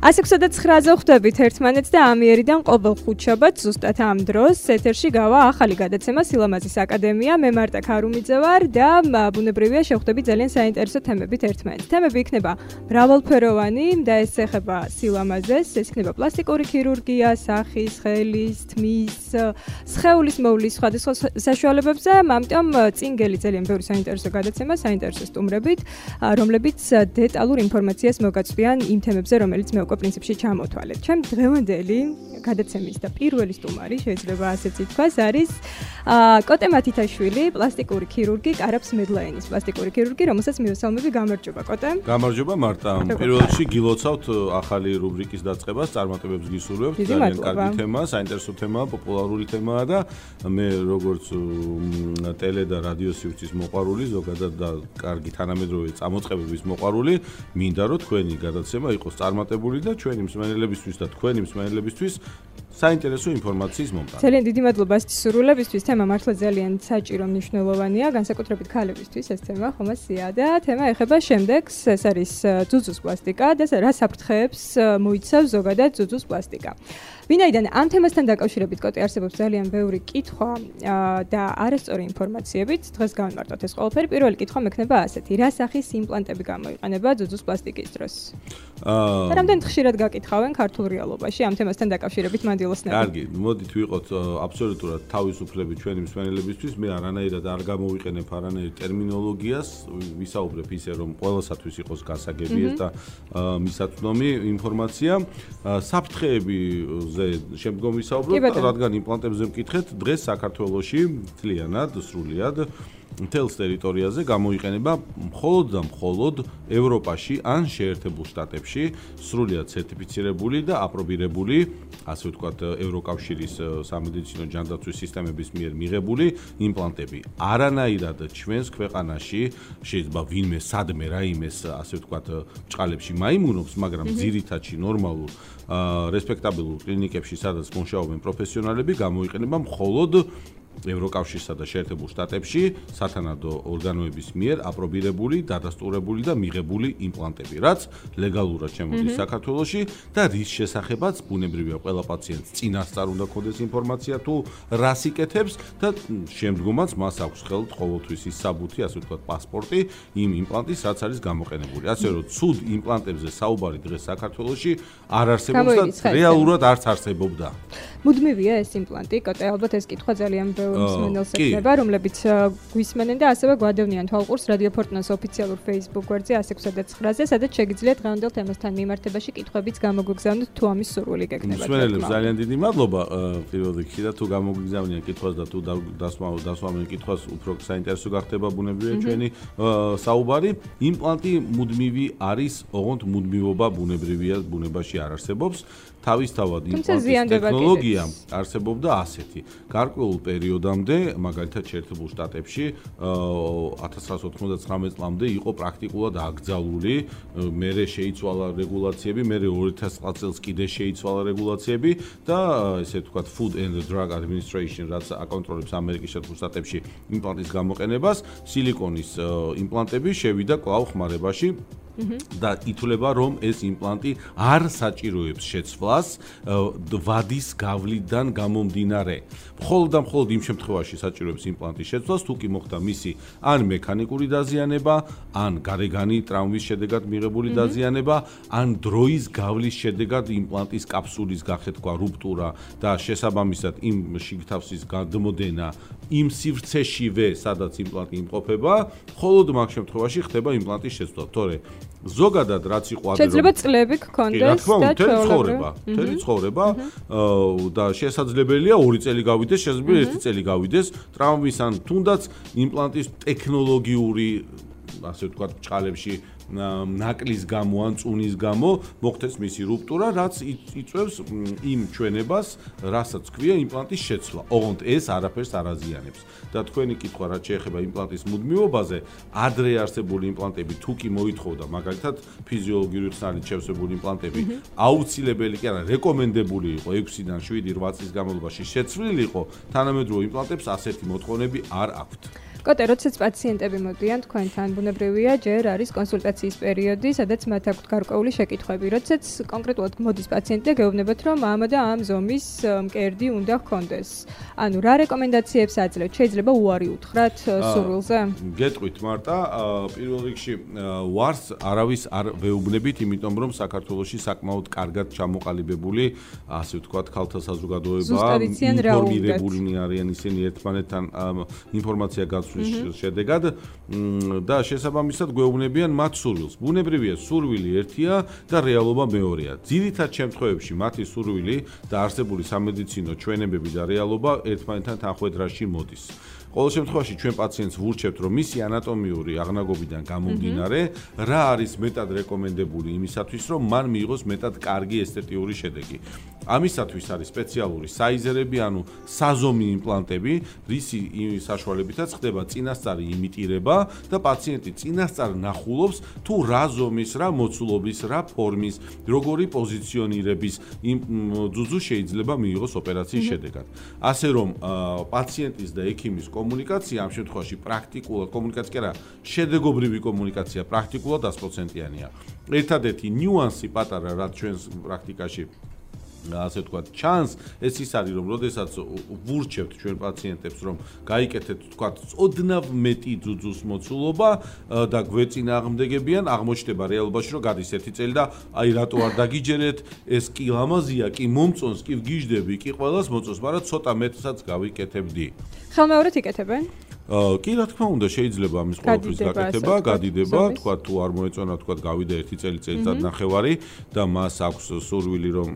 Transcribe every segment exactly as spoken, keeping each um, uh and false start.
ასი ოცდაცხრაზე ხვდებით ერთმანეთს და ამიერიდან ყოველ ხუთშაბათს ზუსტად ამ დროს ეთერში გავა ახალი გადაცემა სილამაზის აკადემია. მე მარტა ქარუმიძე ვარ და ბუნებრივია შევხვდებით ძალიან საინტერესო თემებით ერთმანეთს. თემები იქნება მრავალფეროვანი და ეს ეხება სილამაზეს, ეს იქნება პლასტიკური ქირურგია, სახის, ხელის, თმის, სხეულის მოვლის სხვადასხვა საშუალებებზე. ამიტომ წინგელი ძალიან ბევრი საინტერესო გადაცემა, საინტერესო სტუმრებით, რომლებიც დეტალურ ინფორმაციას მოგაწვდიან იმ თემებზე, რომელიც მე უკვე პრინციპში ჩამოთვალეთ. ჩემ დღევანდელი გადაცემის და პირველი სტუმარი, შეიძლება ასეც ითქვას, არის კოტე მათითაშვილი, პლასტიკური ქირურგი, კარაფს მედლაენის პლასტიკური ქირურგი, რომელსაც მივესალმები. გამარჯობა, კოტე. გამარჯობა, მარტა. პირველ რიგში გილოცავთ ახალი რუბრიკის დაწყებას, წარმატებებს გისურვებთ. ძალიან კარგი თემა, საინტერესო თემაა, პოპულარული თემაა და მე როგორც ტელე და რადიო სივრცის მოყვარული, ზოგადად და კარგი თანამედროვე წამოწყებების მოყვარული, მინდა რომ თქვენი გადაცემა იყოს წარმატებული და ჩვენი მსმენელებისთვის და თქვენი მსმენელებისთვის საინტერესო ინფორმაციის მომტანი. ძალიან დიდი მადლობა სრულებისთვის. თემა მართლა ძალიან საჭირო მნიშვნელოვანია, განსაკუთრებით ქალებისთვის ეს თემა ხომასია და თემა ეხება შემდეგს, ეს არის ძუძუს პლასტიკა და რა საფრთხეებს მოიცავს ზოგადად ძუძუს პლასტიკა. ვინაიდან ამ თემასთან დაკავშირებით კოტე არსებობს ძალიან ბევრი კითხვა და არასწორი ინფორმაციებით, დღეს გავიმარტოთ ეს ყველაფერი. პირველი კითხვა მექნება ასეთი: რა სახის იმპლანტები გამოიყენება ძუძუს პლასტიკის დროს? აა და რამდენად ხშირად გაკითხავენ ქართულ რეალობაში ამ თემასთან დაკავშირებით მანდილოსნები? კარგი, მოდით ვიყოთ აბსოლუტურად თავისუფლები ჩვენი მსმენელებისთვის. მე არანაირად არ გამოვიყენებ არანაირ ტერმინოლოგიას, ვისაუბრებ ისე რომ ყველასათვის იყოს გასაგები ეს და მისაწვდომი ინფორმაცია. საფრთხეები ზე შემდგომ ვისაუბროთ, რადგან იმპლანტებზე მკითხეთ, დღეს საქართველოში მთლიანად, სრულიად მთელს ტერიტორიაზე გამოიყენება მხოლოდ და მხოლოდ ევროპაში ან შეერთებულ შტატებში სრულიად სერტიფიცირებული და აპრობირებული, ასე ვთქვათ, ევროკავშირის სამედიცინო ჯანდაცვის სისტემების მიერ მიღებული იმპლანტები. არანაირად ჩვენს ქვეყანაში შეიძლება ვინმე სადმე რაიმეს, ასე ვთქვათ, ჭყალებში მაიმუნობს, მაგრამ ძირითადში ნორმალურ რესპექტაბელურ კლინიკებში, სადაც მუშაობენ პროფესიონალები, გამოიყენება მხოლოდ ევროკავშირსა და შეერთებულ შტატებში სათანადო ორგანოების მიერ აპრობირებული, დადასტურებული და მიღებული იმპლანტები, რაც ლეგალურად შემოდის საქართველოში და რის შესახებაც ბუნებრივია ყველა პაციენტს წინასწარ უნდა ქონდეს ინფორმაცია თუ რას იკეთებს და შემდგომაც მას აქვს ხელთ ყოველთვის ის საბუთი, ასე ვთქვათ, პასპორტი იმ იმპლანტის, რაც არის გამოყენებული. ასე რომ ცუდ იმპლანტებზე საუბარი დღეს საქართველოში არ არსებობს და რეალურად არც არსებობდა. მუდმივია ეს იმპლანტი, კოტე, ალბათ ეს კითხვა ძალიან ბევრი მსმენელს ეკნება, რომლებიც გვისმენენ და ასევე გვადევნიან თვალყურს რადიო ფორტუნას ოფიციალურ Facebook გვერდზე ასი ოცდაცხრაზე, სადაც შეგიძლიათ დღევანდელ თემასთან მიმართებაში კითხვებიც გამოგვიგზავნოთ თუ ამის სურვილი გექნებათ. მსმენელებს ძალიან დიდი მადლობა პირველ რიგში და თუ გამოგვიგზავნიან კითხვას და თუ დასვამენ კითხვას, უფრო საინტერესო გახდება ბუნებრივია ჩვენი საუბარი. იმპლანტი მუდმივი არის, ოღონდ მუდმივობა ბუნებრივია ბუნებაში არ არსებობს. თავისთავად იმპლანტის ტექნოლოგია არსებობდა ასეთი. გარკვეულ პერიოდამდე, მაგალითად შეერთებულ შტატებში, ათას ცხრაასი ოთხმოცდათვრამეტ წლამდე იყო პრაქტიკულად აკრძალული, მერე შეიცვალა რეგულაციები, მერე ორი ათას ცხრა წელს კიდე შეიცვალა რეგულაციები და ესე ვთქვათ Food and Drug Administration, რაც აკონტროლებს ამერიკის შეერთებულ შტატებში იმპლანტის გამოყენებას, სილიკონის იმპლანტები შევიდა კვლავ ხმარებაში. და ითვლება რომ ეს იმპლანტი არ საჭიროებს შეცვლას ვადის გავლიდან გამომდინარე. მხოლოდ და მხოლოდ იმ შემთხვევაში საჭიროებს იმპლანტის შეცვლას, თუ კი მოხდა მისი ან მექანიკური დაზიანება, ან გარეგანი ტრავმის შედეგად მიღებული დაზიანება, ან დროის გავლის შედეგად იმპლანტის კაფსულის გახეთქვა, რუპტურა და შესაბამისად იმ შიგთავსის გადმოდენა იმ სივრცეშივე, სადაც იმპლანტი იმყოფება, მხოლოდ მაგ შემთხვევაში ხდება იმპლანტის შეცვლა. თორე ზოგადად რაც იყო ადრე შეიძლება წლები გქონდეს და ცხოვრება, მთელი ცხოვრება და შესაძლებელია ორი წელი გავიდეს, შესაძლებელია ერთი წელი გავიდეს ტრავმის ან თუნდაც იმპლანტის ტექნოლოგიური, ასე ვთქვათ, ჭყალებში ნაკლის გამო ან წუნის გამო მოხდეს მისი რუპტურა, რაც იწვევს იმ ჩვენებას, რასაც ქვია იმპლანტის შეცვლა. ოღონდ ეს არაფერს არ აზიანებს. და თქვენი კითხვა რაც შეეხება იმპლანტის მუდმივობაზე, ადრე არსებული იმპლანტები თუ კი მოითხოვდა, მაგალითად ფიზიოლოგიური ხსნარით შევსებული იმპლანტები, აუცილებელი კი არა, რეკომენდებული იყო ექვსიდან შვიდი რვა წლის განმავლობაში შეცვლილიყო, თანამედროვე იმპლანტებს ასეთი მოთხოვნები არ აქვთ. კოტე, როდესაც პაციენტები მოდიან თქვენთან, ბუნებრივია, ჯერ არის კონსულტაციის პერიოდი, სადაც მათ აქვთ გარკვეული შეკითხვები. როდესაც კონკრეტულად მოდის პაციენტი და გეუბნებათ, რომ ამ და ამ ზომის მკერდი უნდა ჰქონდეს. ანუ რა რეკომენდაციებს აძლევთ? შეიძლება უარი უთხრათ სურვილზე? გეტყვით მარტა, პირველ რიგში ვარს არავის არ ვეუბნებით, იმიტომ რომ საქართველოში საკმაოდ კარგად ჩამოყალიბებული, ასე ვთქვათ, ქალთა საზოგადოება, ინფორმირებულნი არიან ისინი ერთმანეთთან ინფორმაცია გაცვლის შედეგად და შესაბამისად გვეუბნებიან მათ სურვილს. ბუნებრივია, სურვილი ერთია და რეალობა მეორეა. ძირითად შემთხვევებში მათი სურვილი და არსებული სამედიცინო ჩვენებები და რეალობა ერთმანეთთან თანხვედრაში მოდის. ყოველ შემთხვევაში ჩვენ პაციენტს ვურჩევთ, რომ მისი ანატომიური აღნაგობიდან გამომდინარე, რა არის მეტად რეკომენდებული იმისათვის, რომ მან მიიღოს მეტად კარგი ესთეტიური შედეგი. ამისათვის არის სპეციალური საიზერები, ანუ საზომი იმპლანტები, რისი საშუალებითაც ხდება წინასწარი იმიტირება და პაციენტი წინასწარ ნახულობს, თუ რა ზომის, რა მოცულობის, რა ფორმის, როგორი პოზიციონირების ძუძუ შეიძლება მიიღოს ოპერაციის შედეგად. ასე რომ პაციენტის და ექიმის კომუნიკაცია ამ შემთხვევაში პრაქტიკულად კომუნიკაცია კი არა, შედეგობრივი კომუნიკაცია პრაქტიკულად ათი პროცენტიანია. ერთადერთი ნიუანსი პატარა, რაც ჩვენს პრაქტიკაში ასე ვთქვათ, ჩანს, ეს ის არის, რომ როდესაც ვურჩევთ ჩვენ პაციენტებს, რომ გაიკეთეთ, ვთქვათ, ოდნავ მეტი ძუძუს მოცულობა და გვეწინააღმდეგებიან, აღმოჩნდება რეალობაში, რომ გადის ერთი წელი და აი რატო არ დაგიჯერეთ, ეს კი ლამაზია, კი მომწონს, კი ვგიჟდები, კი ყველას მოწონს, მაგრამ ცოტა მეტსაც გავიკეთებდი. ხელმეორედ იკეთებენ? კი, რა თქმა უნდა, შეიძლება ამის ყოველთვის გაკეთება, გადიდება, თქვა თუ არ მოეწონა, თქვა გავიდა ერთი წელი წელიწად ნახევარი და მას აქვს სურვილი, რომ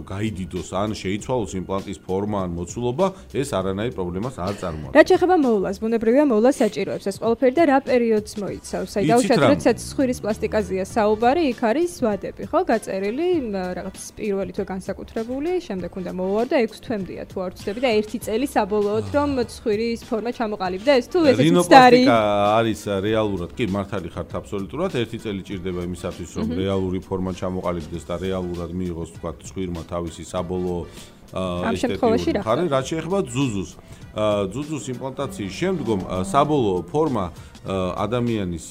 გაიდიდოს ან შეიცვალოს იმპლანტის ფორმა ან მოცულობა, ეს არანაირ პრობლემას არ წარმოადგენს. რა შეეხება მოვლას, ბუნებრივია მოვლა საჭიროებს ეს ყველაფერი და რა პერიოდს მოიცავს? აი დავუშვათ, როდესაც ცხვირის პლასტიკაზეა საუბარი, იქ არის ვადები, ხო, გაწერილი, რაღაც პირველი თვე განსაკუთრებული, შემდეგ უნდა მოვარ და ექვსი თვემდეა თუ არ ვცდები და ერთი წელი საბოლოოდ რომ ცხვირის ფორმა ჩამოყალიბდა ეს თუ ესეც რინოპლასტიკა არის რეალურად, კი, მართალი ხართ აბსოლუტურად, ერთი წელი ჭირდება იმისათვის, რომ რეალური ფორმა ჩამოყალიბდეს და რეალურად მიიღოს, თქვა, ცხვირმა თავისი საბოლოო ამ შემთხვევაში რა ხდება? რაც შეეხება ძუძუს. ძუძუს იმპლანტაციის შემდგომ საბოლოო ფორმა ადამიანის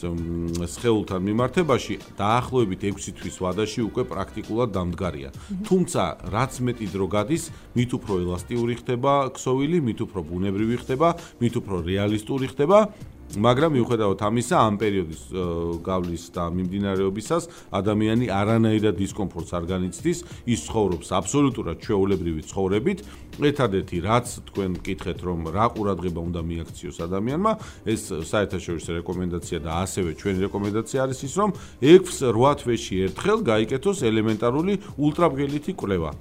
სხეულთან მიმართებაში დაახლოებით ექვსი თვის ვადაში უკვე პრაქტიკულად დამდგარია. თუმცა რაც მეტი დრო გადის, მით უფრო ელასტიური ხდება ქსოვილი, მით უფრო ბუნებრივი ხდება, მით უფრო რეალისტური ხდება. მაგრამ მიუხედავად ამისა, ამ პერიოდის გავლის და მიმდინარეობისას ადამიანი არანაირად დისკომფორტს არ განიცდის, ის ცხოვრობს აბსოლუტურად ჩვეულებრივი ცხოვრებით. ერთადერთი რაც თქვენ მკითხეთ, რომ რა ყურადღება უნდა მიაქციოს ადამიანმა, ეს საერთაშორისო რეკომენდაცია და ასევე ჩვენი რეკომენდაცია არის ის, რომ ექვსი რვა თვეში ერთხელ გაიკეთოს ელემენტარული ულტრაბგერითი კვლევა.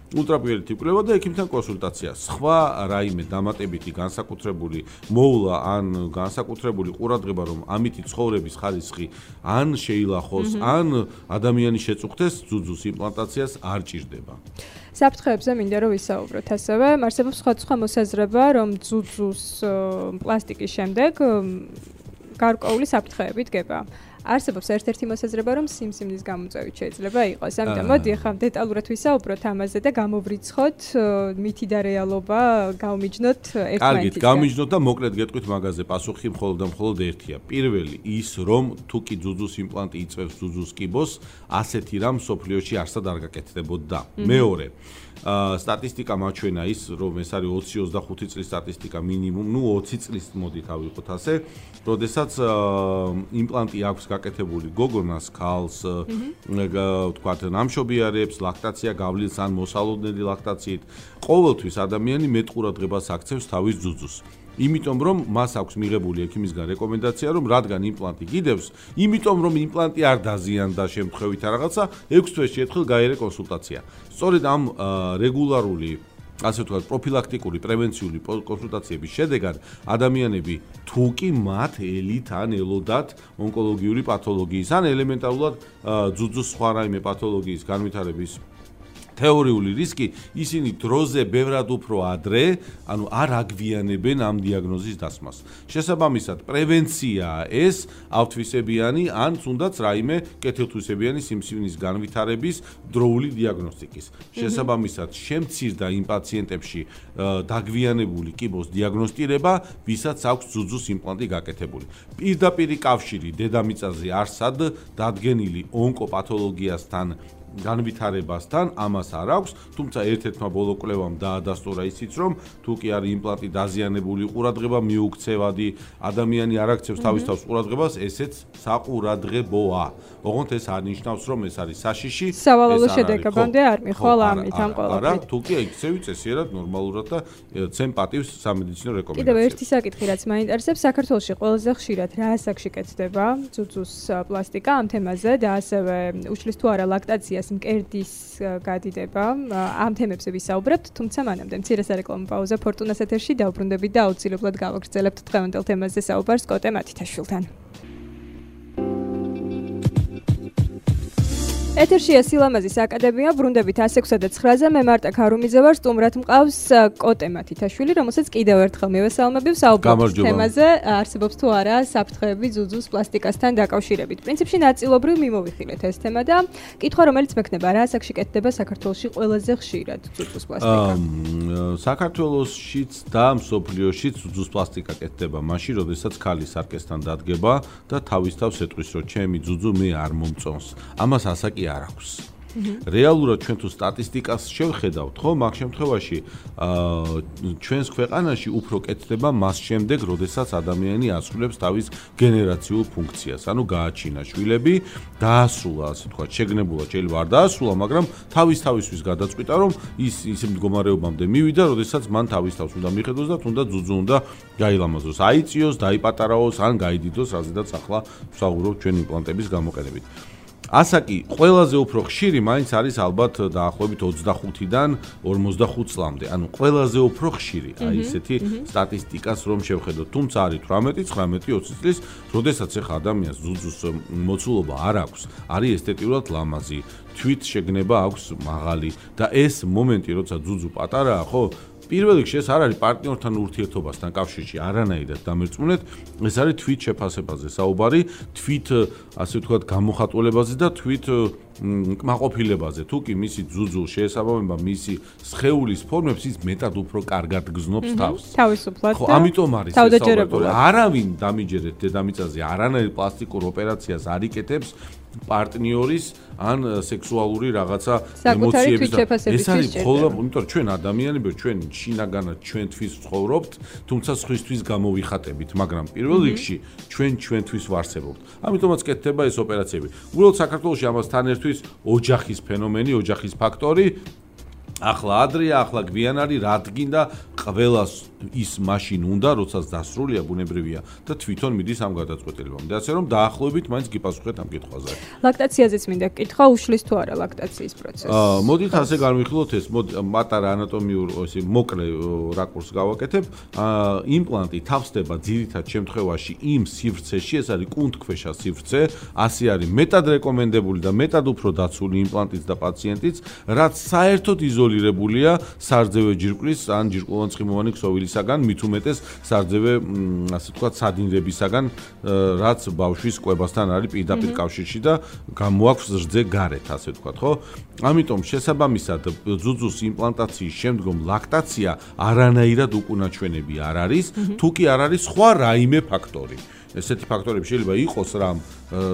ულტრაბგერითი კვლევა და ექიმთან კონსულტაცია. სხვა რაიმე დამატებითი განსაკუთრებული მოვლა ან განსაკუთრებული ყურადღება, რომ ამითი ცხოვრების ხარისხი ან შეილახოს, ან ადამიანი შეწუხდეს ძუძუს იმპლანტაციას არ ჭირდება. საფრთხეებზე მინდა რომ ვისაუბროთ ასევე. არსებობს სხვადასხვა მოსაზრება, რომ ძუძუს პლასტიკის შემდეგ გარკვეული საფრთხეები დგება. არსებობს ერთ-ერთი მოსაზრება, რომ სიმსივნის გამოწვევით შეიძლება იყოს. ამიტომ მოდი ახლა დეტალურად ვისაუბროთ ამაზე და გამოვრიცხოთ მითი და რეალობა, გავმიჯნოთ ერთმანეთისგან. კარგით, გავმიჯნოთ და მოკლედ გეტყვით მაგაზე პასუხი მხოლოდ და მხოლოდ ერთია. პირველი ის, რომ თუ კი ძუძუს იმპლანტი იწვევს ძუძუს კიბოს, ასეთი რამ სოფლიოში არსად არ გაკეთდებოდა. მეორე სტატისტიკა მაჩვენა ის, რომ ეს არის ოცი ოცდახუთი წლის სტატისტიკა მინიმუმ, ნუ ოცი წლის მოდით ავიღოთ ასე, როდესაც იმპლანტი აქვს გაკეთებული გოგონას, ქალს, ვთქვათ, ნამშობიარებს, ლაქტაცია გავლილს ან მოსალოდნელი ლაქტაციით, ყოველთვის ადამიანი მეტ ყურადღებას აქცევს თავის ძუძუს. იმიტომ რომ მას აქვს მიღებული ექიმისგან რეკომენდაცია, რომ რადგან იმპლანტი გიდევს, იმიტომ რომ იმპლანტი არ დაზიანდა შემთხვევით რაღაცა, ექვსი თვეში ერთხელ გაიარე კონსულტაცია. სწორედ ამ რეგულარული, ასე ვთქვათ, პროფილაქტიკური, პრევენციული კონსულტაციების შედეგად ადამიანები თუ კი მათ ელით ან ელოდათ ონკოლოგიური პათოლოგიის ან ელემენტარულად ძუძუს სხვა რაიმე პათოლოგიის განვითარების თეორიული რისკი, ისინი დროზე ბევრად უფრო ადრე, ანუ არ აგვიანებენ ამ დიაგნოზის დასმას. შესაბამისად, პრევენციაა ეს ავთვისებიანი ან თუნდაც რაიმე კეთილთვისებიანი სიმსივნის განვითარების დროული დიაგნოსტიკის. შესაბამისად, შემცირდა იმ პაციენტებში დაგვიანებული კიბოს დიაგნოსტირება, ვისაც აქვს ძუძუს იმპლანტი გაკეთებული. პირდაპირი კავშირი დედამიწაზე არსად დადგენილი ონკოპათოლოგიასთან განვითარებასთან ამას არ აქვს, თუმცა ერთ-ერთმა ბოლო კვლევამ დაადასტურა ისიც, რომ თუ კი არის იმპლანტი დაზიანებული ყურადღება მიუქცევადი, ადამიანი არ აქცევს თავის თავს ყურადღებას, ესეც საყურადღებოა. ოღონდ ეს არ ნიშნავს, რომ ეს არის საშიში, სავალალო შედეგებამდე არ მიხვალ ამით ამ ყველაფრით. არა, თუ კი იქცევი წესიერად, ნორმალურად და ცემ პატივს სამედიცინო რეკომენდაციებს. კიდევ ერთი საკითხი, რაც მაინტერესებს, საქართველოში ყველაზე ხშირად რა ასაკში კეთდება ძუძუს პლასტიკა ამ თემაზე და ასევე უშლის თუ არა ლაქტაციას მკერდის გადიდება, ამ თემებზე ვისაუბრებთ, თუმცა მანამდე მცირე სარეკლამო პაუზა ფორტუნას ეთერში დავბრუნდებით და აუცილებლად გავაგრძელებთ დღევანდელ თემაზე საუბარს კოტე მათითაშვილთან. ეთერშია სილამაზის აკადემია, ბრუნდებით ასექვსა და ცხრაზე, მე მარტა ქარუმიძე ვარ, სტუმრად მყავს კოტე მათითაშვილი, რომელსაც კიდევ ერთხელ მივესალმები, საუბრობთ თემაზე, არსებობს თუ არა საფრთხეები ძუძუს პლასტიკასთან დაკავშირებით. პრინციპში ნაწილობრივ მიმოვიხილეთ ეს თემა და კითხვა, რომელიც მექნება, რა ასაკში კეთდება საქართველოში ყველაზე ხშირად ძუძუს პლასტიკა? საქართველოშიც და მსოფლიოშიც ძუძუს პლასტიკა კეთდება მაშინ, როდესაც ქალი სარკესთან დადგება და თავის თავს ეტყვის, რომ ჩემი ძუძუ მე არ მომწონს. ამას ასაკი არ აქვს. რეალურად ჩვენ თუ სტატისტიკას შევხედავთ, ხო, მაგ შემთხვევაში ჩვენს ქვეყანაში უფრო კეთდება მას შემდეგ, როდესაც ადამიანი ასრულებს თავის გენერაციულ ფუნქციას, ანუ გააჩინა შვილები, დაასრულა, ასე ვთქვათ, შეგნებულად შეიძლება არ დაასრულა, მაგრამ თავის თავისთვის გადაწყვიტა, რომ ის ის მდგომარეობამდე მივიდა, როდესაც მან თავის თავს უნდა მიხედოს და თუნდაც ძუძუ უნდა გაილამაზოს, აიწიოს, დაიპატარაოს, ან გაიდიდოს, რაზედაც ახლა ვსაუბრობთ ჩვენ იმპლანტების გამოყენებით. ასაკი ყველაზე უფრო ხშირი მაინც არის ალბათ დაახლოებით ოცდახუთიდან ორმოცდახუთ წლამდე. ანუ ყველაზე უფრო ხშირი, აი ესეთი სტატისტიკას რომ შევხედოთ. თუმცა არის თვრამეტი, ცხრამეტი, ოცი წლის, როდესაც ახლა ადამიანს ძუძუს მოცულობა არ აქვს, არის ესთეტიურად ლამაზი, თვით შეგნება აქვს მაღალი და ეს მომენტი, როცა ძუძუ პატარაა, ხო? პირველ რიგში ეს არ არის პარტნიორთან ურთიერთობასთან კავშირში არანაირად დამერწმუნეთ, ეს არის თვით შეფასებაზე საუბარი, თვით ასე ვთქვათ გამოხატულებაზე და თვით კმაყოფილებაზე. თუ კი მისი ძუძუ შეესაბამება მისი სხეულის ფორმებს, ის მეტად უფრო კარგად გზნობს თავს. თავისუფლად. ხო, ამიტომ არის ეს საუბარი. არავინ დამიჯერეთ დედამიწაზე არანაირ პლასტიკურ ოპერაციას არ იკეთებს პარტნიორის ან სექსუალური რაღაცა ემოციების ეს არის მხოლოდ, იმიტომ რომ ჩვენ ადამიანები ჩვენ შინაგანად ჩვენთვის ვცხოვრობთ, თუმცა სხვისთვის გამოვიხატებით, მაგრამ პირველ რიგში ჩვენ ჩვენთვის ვარსებობთ. ამიტომაც კეთდება ეს ოპერაციები. უბრალოდ საქართველოში ამასთან ერთვის ოჯახის ფენომენი, ოჯახის ფაქტორი ახლა ადრეა, ახლა გვიან არის, რადგინდა ყველას ის მაშინ უნდა, როდესაც დასრულია ბუნებრივია და თვითონ მიდის ამ გადაწყვეტილებამდე. ასე რომ დაახლოებით მაინც გიპასუხეთ ამ კითხვაზე. ლაქტაციაზეც მინდა კითხვა, უშლის თუ არა ლაქტაციის პროცესი? აა, მოდით ასე განვიხილოთ ეს, მოდი პატარა ანატომიურ ესე მოკლე რაკურსს გავაკეთებ. აა, იმპლანტი თავსდება ძირითად შემთხვევაში იმ სივრცეში, ეს არის კუნთქვეშა სივრცე, ასე არის მეტად რეკომენდებული და მეტად უფრო დაცული იმპლანტიც და პაციენტიც, რაც საერთოდ იზოლირებულია სარძევე ჯირკვლის ან ჯირკვლოვან-ცხიმოვანი ქსოვილისაგან, მით უმეტეს სარძევე, ასე ვთქვათ, სადინრებისაგან, რაც ბავშვის კვებასთან არის პირდაპირ კავშირში და გამოაქვს რძე გარეთ, ასე ვთქვათ, ხო? ამიტომ შესაბამისად ძუძუს იმპლანტაციის შემდგომ ლაქტაცია არანაირად უკუნაჩვენები არ არის, თუ კი არ არის სხვა რაიმე ფაქტორი. ესეთი ფაქტორები შეიძლება იყოს რამ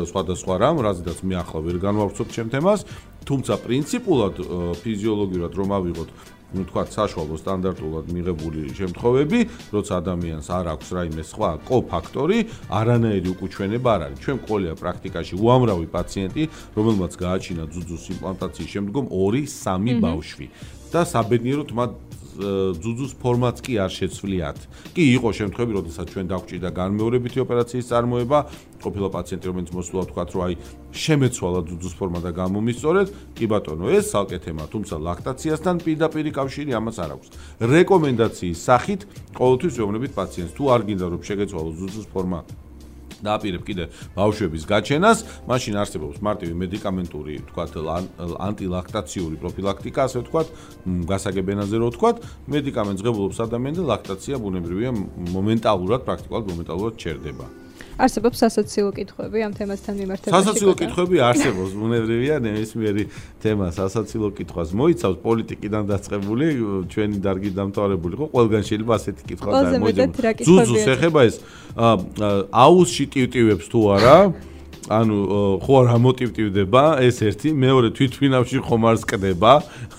სხვადასხვა რამ, რაზედაც მე ახლა ვერ განვავრცობ ჩემ თემას, თუმცა პრინციპულად ფიზიოლოგიურად რომ ავიღოთ, ну თქვა საშუალო სტანდარტულად მიღებული შემთხვევები, როცა ადამიანს არ აქვს რაიმე სხვა კოფაქტორი, არანაირი უკუჩვენება არ არის. ჩვენ ყოლია პრაქტიკაში უამრავი პაციენტი, რომელმაც გააჩინა ძუძუს იმპლანტაციის შემდგომ ორი სამი ბავშვი და საბედნიეროდ მათ ძუძუს ფორმაც კი არ შეცვლიათ. კი იყო შემთხვევები, როდესაც ჩვენ დაგვჭირდა განმეორებითი ოპერაციის წარმოება, ყოფილა პაციენტი, რომელიც მოსულა თქვათ, რომ აი შემეცვალა ძუძუს ფორმა და გამომისწორეთ, კი ბატონო, ეს ცალკე თემა, თუმცა ლაქტაციასთან პირდაპირი კავშირი ამას არ აქვს. რეკომენდაციის სახით ყოველთვის ვეუბნებით პაციენტს, თუ არ გინდა რომ შეგეცვალოს ძუძუს ფორმა დააპირებ კიდე ბავშვების გაჩენას, მაშინ არსებობს მარტივი მედიკამენტური, თქვათ, ანტილაქტაციური პროფილაქტიკა, ასე ვთქვათ, გასაგებ ენაზე რო ვთქვათ, მედიკამენტს ღებულობს ადამიანი და ლაქტაცია ბუნებრივია მომენტალურად, პრაქტიკულად მომენტალურად ჩერდება. არსებობს სასაცილო კითხვები ამ თემასთან მიმართებაში? სასაცილო კითხვები არსებობს, ბუნებრივია, ნებისმიერი თემა სასაცილო კითხვას მოიცავს, პოლიტიკიდან დაწყებული, ჩვენი დარგი დამთავრებული იყო, ყველგან შეიძლება ასეთი კითხვა დაიმოძებოს. ზუზუს ეხება ეს აუსში ტივტივებს თუ არა? ანუ ხო რა მოტივტივდება ეს ერთი, მეორე თვითფრინავში ხომ არ სკდება,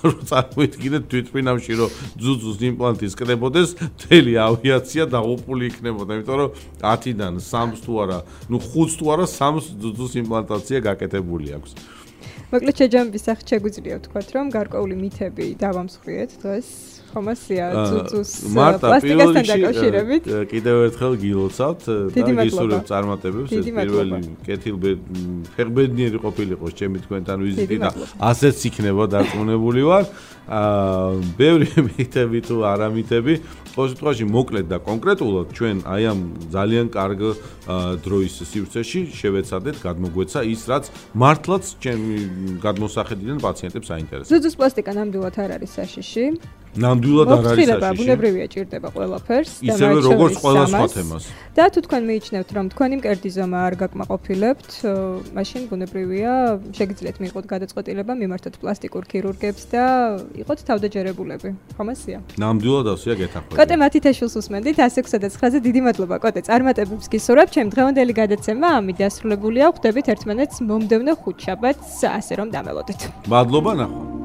რომ წარმოიდგინეთ თვითფრინავში რომ ძუძუს იმპლანტი სკდებოდეს, მთელი ავიაცია დაღუპული იქნებოდა, იმიტომ რომ ათიდან სამს თუ არა, ნუ ხუთს თუ არა სამს ძუძუს იმპლანტაცია გაკეთებული აქვს. მოკლედ შეჯამების სახით შეგვიძლია ვთქვათ, რომ გარკვეული მითები დავამსხვრიეთ დღეს. ხომასია ძუძუს პლასტიკასთან დაკავშირებით. კიდევ ერთხელ გილოცავთ და გისურვებთ წარმატებებს. ეს პირველი კეთილფეხბედნიერი ყოფილიყო ჩემი თქვენთან ვიზიტი და ასეც იქნება დარწმუნებული ვარ. აა ბევრი მითები თუ არა მითები, ყოველ შემთხვევაში მოკლედ და კონკრეტულად ჩვენ აი ამ ძალიან კარგ დროის სივრცეში შევეცადეთ გადმოგვეცა ის, რაც მართლაც ჩემი გადმოსახედიდან პაციენტებს აინტერესებს. ძუძუს პლასტიკა ნამდვილად არ არის საშიში. ნამდვილად არ არის საშიში. ბუნებრივია ჭირდება ყველაფერს და ისევე როგორც ყველა სხვა თემას. და თუ თქვენ მიიჩნევთ, რომ თქვენი მკერდის ზომა არ გაკმაყოფილებთ, მაშინ ბუნებრივია შეგიძლიათ მიიღოთ გადაწყვეტილება მიმართოთ პლასტიკურ ქირურგებს და იყოთ თავდაჯერებულები. ხომასია. ნამდვილად ასეა გეთანხმებით. კოტე მათი თეშულს უსმენდით one six და nine-ზე დიდი მადლობა კოტე წარმატებებს გისურვებთ. ჩემ დღევანდელი გადაცემა ამით დასრულებულია. ხვდებით ერთმანეთს მომდევნო ხუთშაბათს, ასე რომ დამელოდეთ. მადლობა ნახვა.